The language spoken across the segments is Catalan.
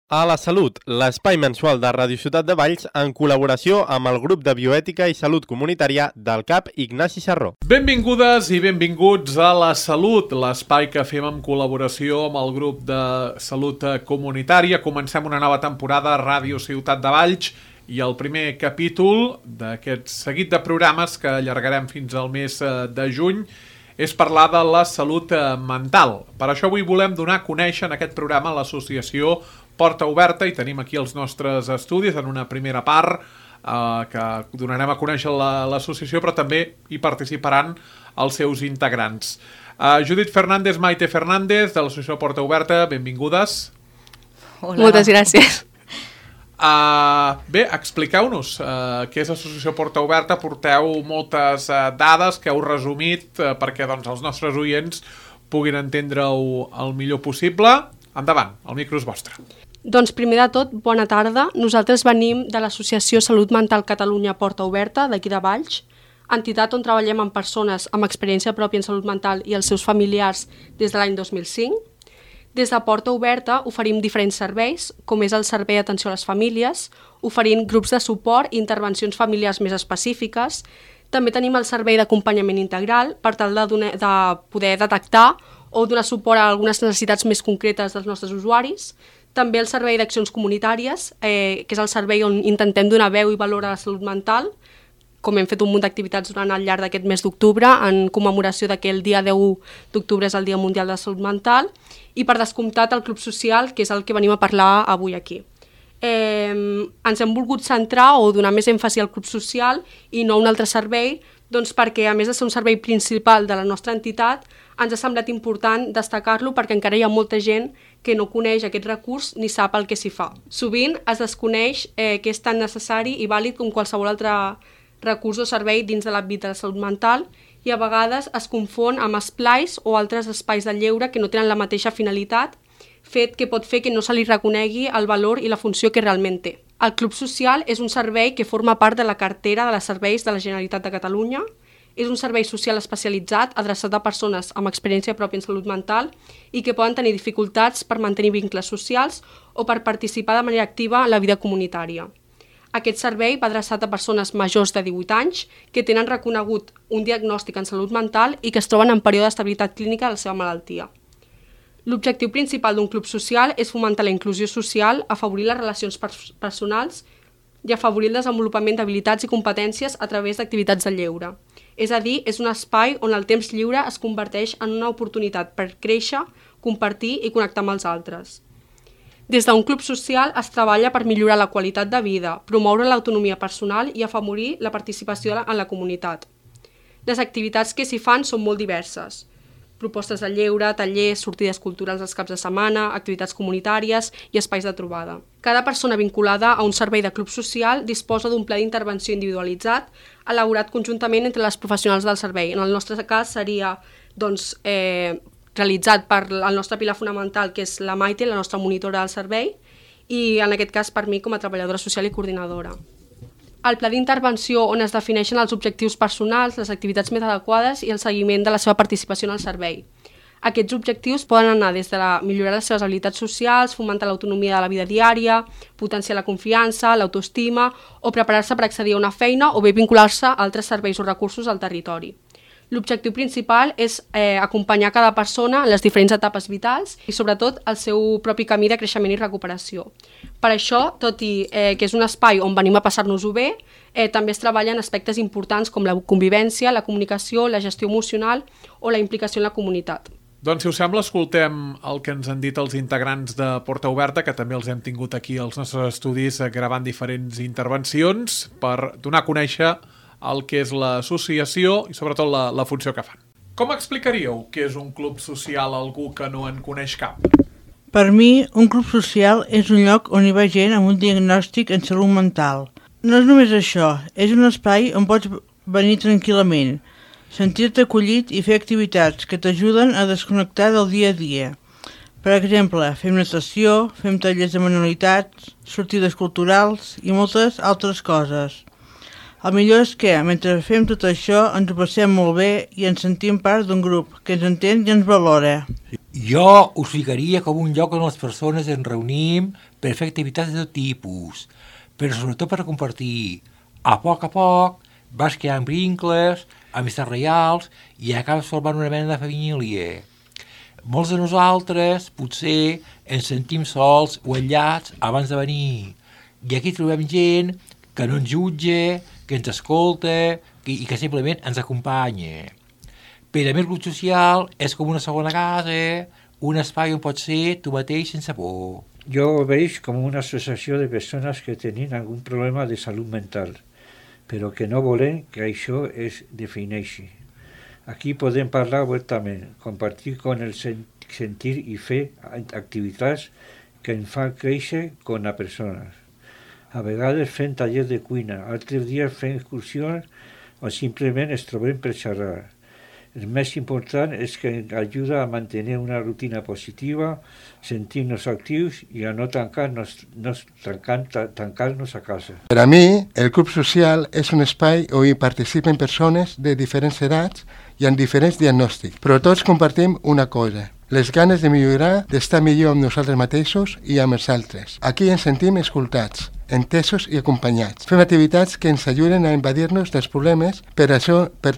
A la Salut, l'espai mensual de Ràdio Ciutat de Valls en col·laboració amb el grup de bioètica i salut comunitària del CAP Ignasi Sarró. Benvingudes i benvinguts a La Salut, l'espai que fem en col·laboració amb el grup de salut comunitària. Comencem una nova temporada a Ràdio Ciutat de Valls i el primer capítol d'aquest seguit de programes que allargarem fins al mes de juny és parlar de la salut mental. Per això avui volem donar a conèixer en aquest programa l'associació Porta Oberta i tenim aquí els nostres estudis en una primera part que donarem a conèixer l'associació, però també hi participaran els seus integrants. Judit Fernández, Maite Fernández, de l'associació Porta Oberta, benvingudes. Hola. Moltes gràcies. Bé, expliqueu-nos què és l'associació Porta Oberta. Porteu moltes dades que heu resumit perquè els nostres oients puguin entendre-ho el millor possible. Endavant, el micro és vostre. Doncs primer de tot, bona tarda. Nosaltres venim de l'Associació Salut Mental Catalunya Porta Oberta, d'aquí de Valls, entitat on treballem amb persones amb experiència pròpia en salut mental i els seus familiars des de l'any 2005. Des de Porta Oberta oferim diferents serveis, com és el servei d'atenció a les famílies, oferint grups de suport i intervencions familiars més específiques. També tenim el servei d'acompanyament integral per tal de poder detectar o donar suport a algunes necessitats més concretes dels nostres usuaris. També el servei d'accions comunitàries, que és el servei on intentem donar veu i valor a la salut mental, com hem fet un munt d'activitats durant el llarg d'aquest mes d'octubre, en commemoració que el dia 10 d'octubre és el Dia Mundial de la Salut Mental, i per descomptat el Club Social, que és el que venim a parlar avui aquí. Ens hem volgut centrar o donar més èmfasi al Club Social i no a un altre servei, doncs perquè a més de ser un servei principal de la nostra entitat, ens ha semblat important destacar-lo perquè encara hi ha molta gent que no coneix aquest recurs ni sap el que s'hi fa. Sovint es desconeix que és tan necessari i vàlid com qualsevol altre recurs o servei dins de l'àmbit de la salut mental i a vegades es confon amb esplais o altres espais de lleure que no tenen la mateixa finalitat, fet que pot fer que no se li reconegui el valor i la funció que realment té. El Club Social és un servei que forma part de la cartera de serveis de la Generalitat de Catalunya. És un servei social especialitzat adreçat a persones amb experiència pròpia en salut mental i que poden tenir dificultats per mantenir vincles socials o per participar de manera activa en la vida comunitària. Aquest servei va adreçat a persones majors de 18 anys que tenen reconegut un diagnòstic en salut mental i que es troben en període d'estabilitat clínica de la seva malaltia. L'objectiu principal d'un club social és fomentar la inclusió social, afavorir les relacions personals i afavorir el desenvolupament d'habilitats i competències a través d'activitats de lleure. És a dir, és un espai on el temps lliure es converteix en una oportunitat per créixer, compartir i connectar amb els altres. Des d'un club social es treballa per millorar la qualitat de vida, promoure l'autonomia personal i afavorir la participació en la comunitat. Les activitats que s'hi fan són molt diverses. Propostes de lleure, tallers, sortides culturals els caps de setmana, activitats comunitàries i espais de trobada. Cada persona vinculada a un servei de club social disposa d'un pla d'intervenció individualitzat elaborat conjuntament entre les professionals del servei. En el nostre cas seria realitzat per el nostre pilar fonamental, que és la Maite, la nostra monitora del servei, i en aquest cas per mi com a treballadora social i coordinadora. El pla d'intervenció on es defineixen els objectius personals, les activitats més adequades i el seguiment de la seva participació en el servei. Aquests objectius poden anar des de millorar les seves habilitats socials, fomentar l'autonomia de la vida diària, potenciar la confiança, l'autoestima o preparar-se per accedir a una feina o bé vincular-se a altres serveis o recursos al territori. L'objectiu principal és acompanyar cada persona en les diferents etapes vitals i sobretot el seu propi camí de creixement i recuperació. Per això, tot i que és un espai on venim a passar-nos-ho bé, també es treballen aspectes importants com la convivència, la comunicació, la gestió emocional o la implicació en la comunitat. Doncs, si us sembla, escoltem el que ens han dit els integrants de Porta Oberta, que també els hem tingut aquí als nostres estudis gravant diferents intervencions per donar a conèixer el que és l'associació i sobretot la funció que fan. Com explicaríeu què és un club social a algú que no en coneix cap? Per mi, un club social és un lloc on hi va gent amb un diagnòstic en salut mental. No és només això, és un espai on pots venir tranquil·lament, sentir-te acollit i fer activitats que t'ajuden a desconnectar del dia a dia. Per exemple, fem natació, fem tallers de manualitats, sortides culturals i moltes altres coses. El millor és que, mentre fem tot això, ens ho passem molt bé i ens sentim part d'un grup que ens entén i ens valora. Jo us ficaria com un lloc on les persones ens reunim per fer activitats de tot tipus, però sobretot per compartir. A poc vas creant vincles, amistats reals i acabes formant una mena de família. Molts de nosaltres potser ens sentim sols o aïllats abans de venir. I aquí trobem gent que no ens jutja, que ens escolta i que simplement ens acompanya. Per a mi el grup social és com una segona casa, un espai on pots ser tu mateix sense por. Jo ho veig com una associació de persones que tenen algun problema de salut mental, però que no volen que això es defineixi. Aquí podem parlar obertament, compartir con el sentir i fer activitats que ens fan créixer com a persones. A vegades fem tallers de cuina, altres dies fem excursions o simplement ens trobem per xerrar. El més important és que ens ajuda a mantenir una rutina positiva, sentir-nos actius i a no tancar-nos a casa. Per a mi, el club social és un espai on hi participen persones de diferents edats i amb diferents diagnòstics, però tots compartim una cosa: les ganes de millorar, d'estar millor amb nosaltres mateixos i amb els altres. Aquí ens sentim escoltats, entesos i acompanyats. Fem activitats que ens ajuden a invadir-nos dels problemes, per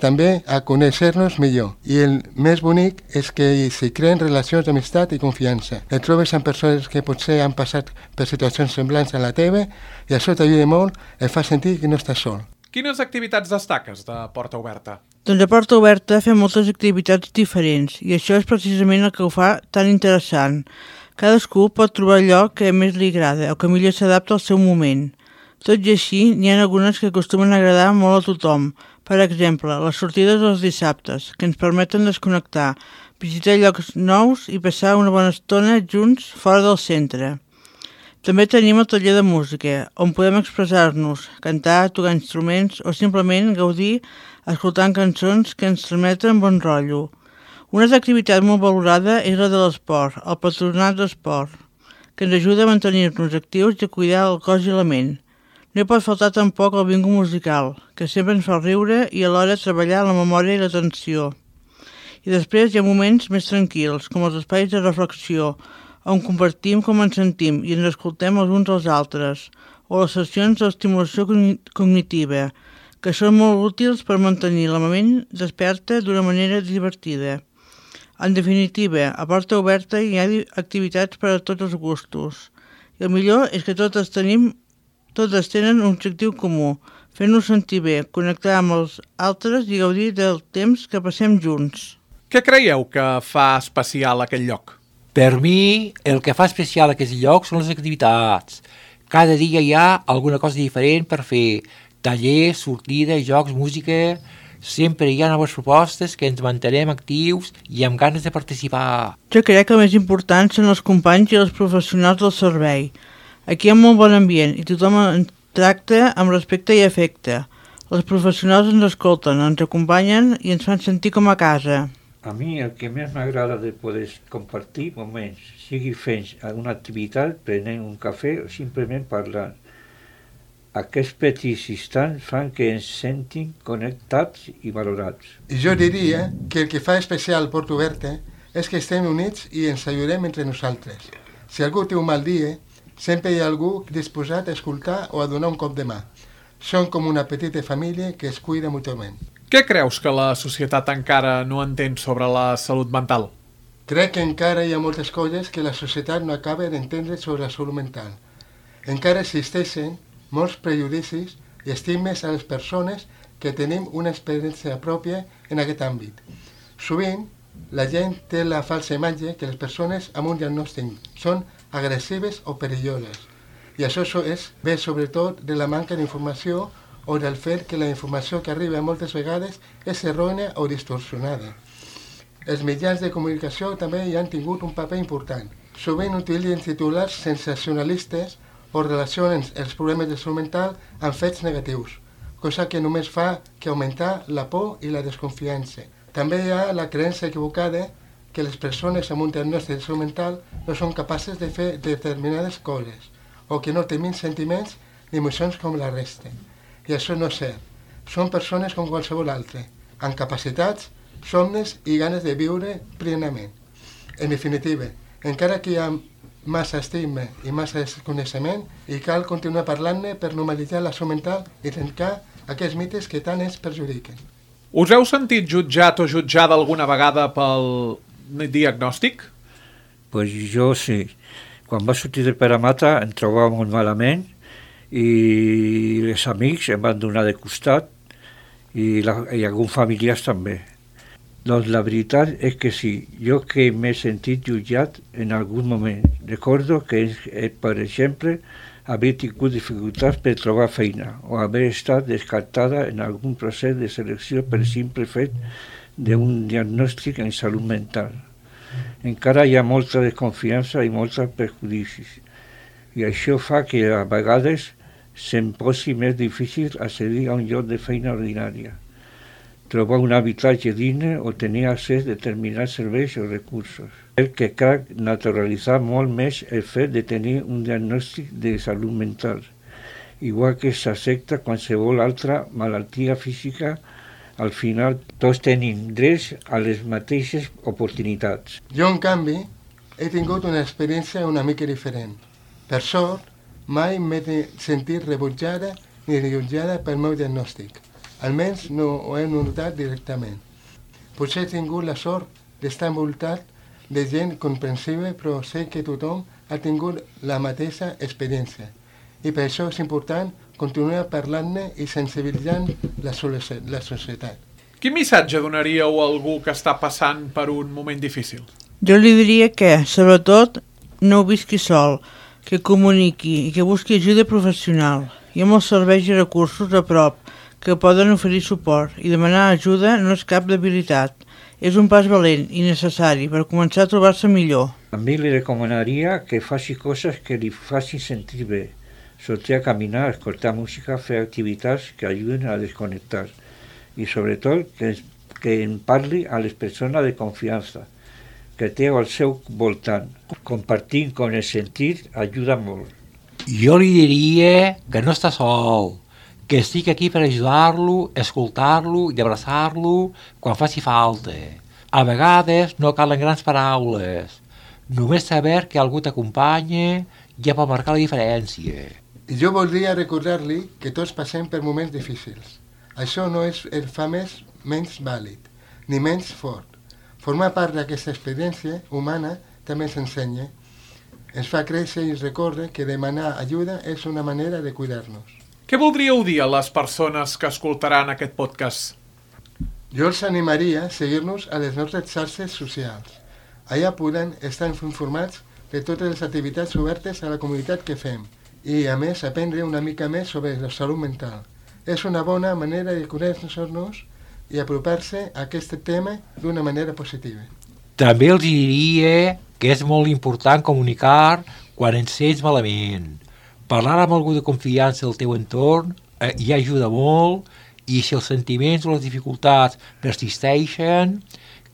també a conèixer-nos millor. I el més bonic és que s'hi creen relacions d'amistat i confiança. Et trobes amb persones que potser han passat per situacions semblants a la teva i això t'ajuda molt, et fa sentir que no estàs sol. Quines activitats destaques de Porta Oberta? Doncs a Porta Oberta fem moltes activitats diferents i això és precisament el que ho fa tan interessant. Cadascú pot trobar allò que més li agrada o que millor s'adapta al seu moment. Tot i així, n'hi ha algunes que acostumen a agradar molt a tothom. Per exemple, les sortides dels dissabtes, que ens permeten desconnectar, visitar llocs nous i passar una bona estona junts fora del centre. També tenim el taller de música, on podem expressar-nos, cantar, tocar instruments o simplement gaudir escoltant cançons que ens transmeten bon rotllo. Una altra activitat molt valorada és la de l'esport, el patronat d'esport, que ens ajuda a mantenir-nos actius i a cuidar el cos i la ment. No hi pot faltar tampoc el bingo musical, que sempre ens fa riure i alhora treballar la memòria i l'atenció. I després hi ha moments més tranquils, com els espais de reflexió, on compartim com ens sentim i ens escoltem els uns als altres, o les sessions d'estimulació cognitiva, que són molt útils per mantenir la ment desperta d'una manera divertida. En definitiva, a Porta Oberta hi ha activitats per a tots els gustos. I el millor és que totes tenen un objectiu comú, fer-nos sentir bé, connectar amb els altres i gaudir del temps que passem junts. Què creieu que fa especial aquell lloc? Per mi, el que fa especial aquest lloc són les activitats. Cada dia hi ha alguna cosa diferent per fer. Tallers, sortides, jocs, música... Sempre hi ha noves propostes que ens mantenem actius i amb ganes de participar. Jo crec que el més important són els companys i els professionals del servei. Aquí hi ha molt bon ambient i tothom ens tracta amb respecte i afecte. Els professionals ens escolten, ens acompanyen i ens fan sentir com a casa. A mi el que més m'agrada de poder compartir moments, sigui fent alguna activitat, prenent un cafè o simplement parlant. Aquests petits instants fan que ens sentim connectats i valorats. I jo diria que el que fa especial Porta Oberta és que estem units i ens ajudem entre nosaltres. Si algú té un mal dia, sempre hi ha algú disposat a escoltar o a donar un cop de mà. Som com una petita família que es cuida mútuament. Què creus que la societat encara no entén sobre la salut mental? Crec que encara hi ha moltes coses que la societat no acaba d'entendre sobre la salut mental. Encara existeixen molts prejudicis i estigmes a les persones que tenim una experiència pròpia en aquest àmbit. Sovint, la gent té la falsa imatge que les persones amb un diagnòstic són agressives o perilloses. I això ve sobretot de la manca d'informació o del fet que la informació que arriba moltes vegades és errònia o distorsionada. Els mitjans de comunicació també hi han tingut un paper important. Sovint utilitzen titulars sensacionalistes o relacionen els problemes de salut mental amb fets negatius, cosa que només fa que augmentar la por i la desconfiança. També hi ha la creença equivocada que les persones amb un diagnòstic de salut mental no són capaces de fer determinades coses o que no tenen sentiments ni emocions com la resta. I això no és cert. Són persones com qualsevol altre, amb capacitats, somnis i ganes de viure plenament. En definitiva, encara que hi ha massa estigma i massa desconeixement i cal continuar parlant-ne per normalitzar la salut mental i trencar aquests mites que tant ens perjudiquen. Us heu sentit jutjat o jutjada alguna vegada pel diagnòstic? Pues jo sí. Quan va sortir de Paramata em trobava molt malament i els amics em van donar de costat i alguns familiars també. Doncs la veritat és que sí, jo que m'he sentit jutjat en algun moment. Recordo que, per exemple, haver tingut dificultats per trobar feina o haver estat descartada en algun procés de selecció per simple fet d'un diagnòstic en salut mental. Encara hi ha molta desconfiança i molts prejudicis i això fa que a vegades se'm posi més difícil accedir a un lloc de feina ordinària, trobar un habitatge digne o tenir accés a determinats serveis o recursos. Que cal naturalitzar molt més el fet de tenir un diagnòstic de salut mental, igual que s'accepta qualsevol altra malaltia física. Al final tots tenim drets a les mateixes oportunitats. Jo, en canvi, he tingut una experiència una mica diferent. Per sort, mai m'he sentit rebutjada ni jutjada pel meu diagnòstic. Almenys no ho he notat directament. Potser he tingut la sort d'estar envoltat de gent comprensiva, però sé que tothom ha tingut la mateixa experiència. I per això és important continuar parlant-ne i sensibilitzant la societat. Quin missatge donaríeu a algú que està passant per un moment difícil? Jo li diria que, sobretot, no ho visqui sol, que comuniqui i que busqui ajuda professional. Hi ha molts serveis i recursos a prop que poden oferir suport i demanar ajuda no és cap debilitat. És un pas valent i necessari per començar a trobar-se millor. A mi li recomanaria que faci coses que li facin sentir bé. Sortir a caminar, escoltar música, fer activitats que ajuden a desconnectar i sobretot que en parli a les persones de confiança que té al seu voltant. Compartir con el sentit ajuda molt. Jo li diria que no està sol, que estic aquí per ajudar-lo, escoltar-lo i abraçar-lo quan faci falta. A vegades no calen grans paraules, només saber que algú t'acompanya ja pot marcar la diferència. I jo voldria recordar-li que tots passem per moments difícils. Això no el fa menys vàlid, ni menys fort. Formar part d'aquesta experiència humana també s'ensenya. Ens fa créixer i recordar que demanar ajuda és una manera de cuidar-nos. Què voldríeu dir a les persones que escoltaran aquest podcast? Jo els animaria a seguir-nos a les nostres xarxes socials. Allà podran estar informats de totes les activitats obertes a la comunitat que fem i, a més, aprendre una mica més sobre la salut mental. És una bona manera de conèixer-nos i apropar-se a aquest tema d'una manera positiva. També els diria que és molt important comunicar quan ens sents malament. Parlar amb algú de confiança del teu entorn ja ajuda molt i si els sentiments o les dificultats persisteixen,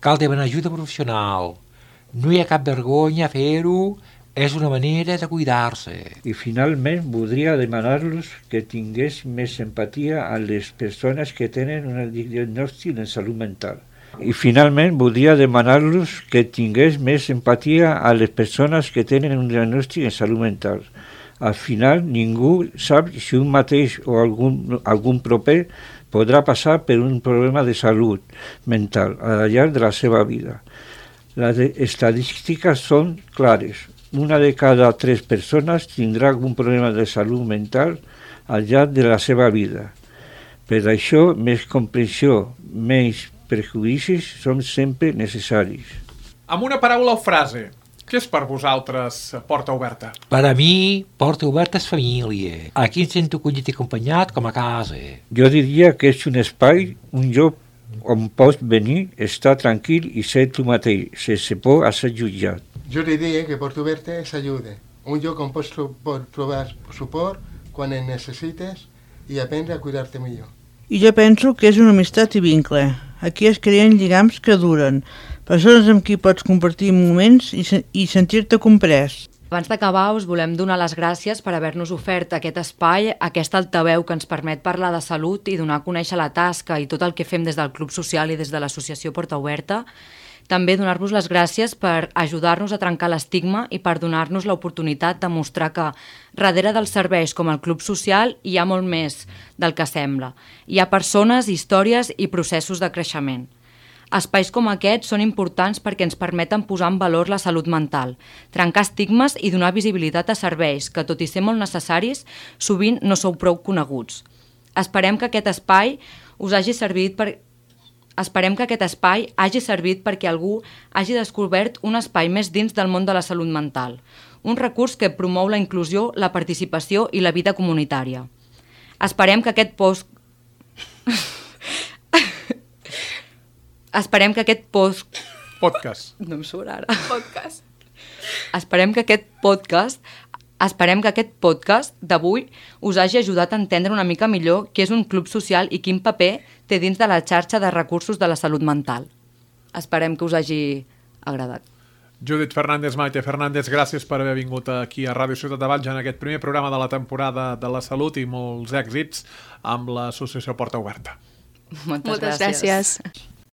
cal demanar ajuda professional. No hi ha cap vergonya a fer-ho, és una manera de cuidar-se. I finalment voldria demanar-los que tingués més empatia a les persones que tenen un diagnòstic de salut mental. I finalment voldria demanar-los que tingués més empatia a les persones que tenen un diagnòstic de salut mental. Al final ningú sap si un mateix o algun proper podrà passar per un problema de salut mental al llarg de la seva vida. Les estadístiques són clares. Una de cada 3 persones tindrà algun problema de salut mental al llarg de la seva vida. Per això, més comprensió, menys prejudicis són sempre necessaris. Amb una paraula o frase, què és per vosaltres Porta Oberta? Per a mi, Porta Oberta és família. Aquí em sento acollit i acompanyat com a casa. Jo diria que és un espai, un lloc on pots venir, estar tranquil i ser tu mateix, sense por a ser jutjat. Jo diria que Porta Oberta és ajuda, un lloc on pots trobar suport quan en necessites i aprendre a cuidar-te millor. I jo penso que és una amistat i vincle. Aquí es creen lligams que duren, persones amb qui pots compartir moments i sentir-te comprès. Abans d'acabar, us volem donar les gràcies per haver-nos ofert aquest espai, aquest altaveu que ens permet parlar de salut i donar a conèixer la tasca i tot el que fem des del Club Social i des de l'Associació Porta Oberta. També donar-vos les gràcies per ajudar-nos a trencar l'estigma i per donar-nos l'oportunitat de mostrar que darrere dels serveis com el Club Social hi ha molt més del que sembla. Hi ha persones, històries i processos de creixement. Espais com aquests són importants perquè ens permeten posar en valor la salut mental, trencar estigmes i donar visibilitat a serveis que, tot i ser molt necessaris, sovint no sou prou coneguts. Esperem que aquest espai hagi servit perquè algú hagi descobert un espai més dins del món de la salut mental, un recurs que promou la inclusió, la participació i la vida comunitària. Esperem que aquest Podcast. No em surt ara. Podcast. Esperem que aquest podcast d'avui us hagi ajudat a entendre una mica millor què és un club social i quin paper té dins de la xarxa de recursos de la salut mental. Esperem que us hagi agradat. Judit Fernández, Maite Fernández, gràcies per haver vingut aquí a Ràdio Ciutat de Valls en aquest primer programa de la temporada de la salut i molts èxits amb l'associació Porta Oberta. Moltes gràcies.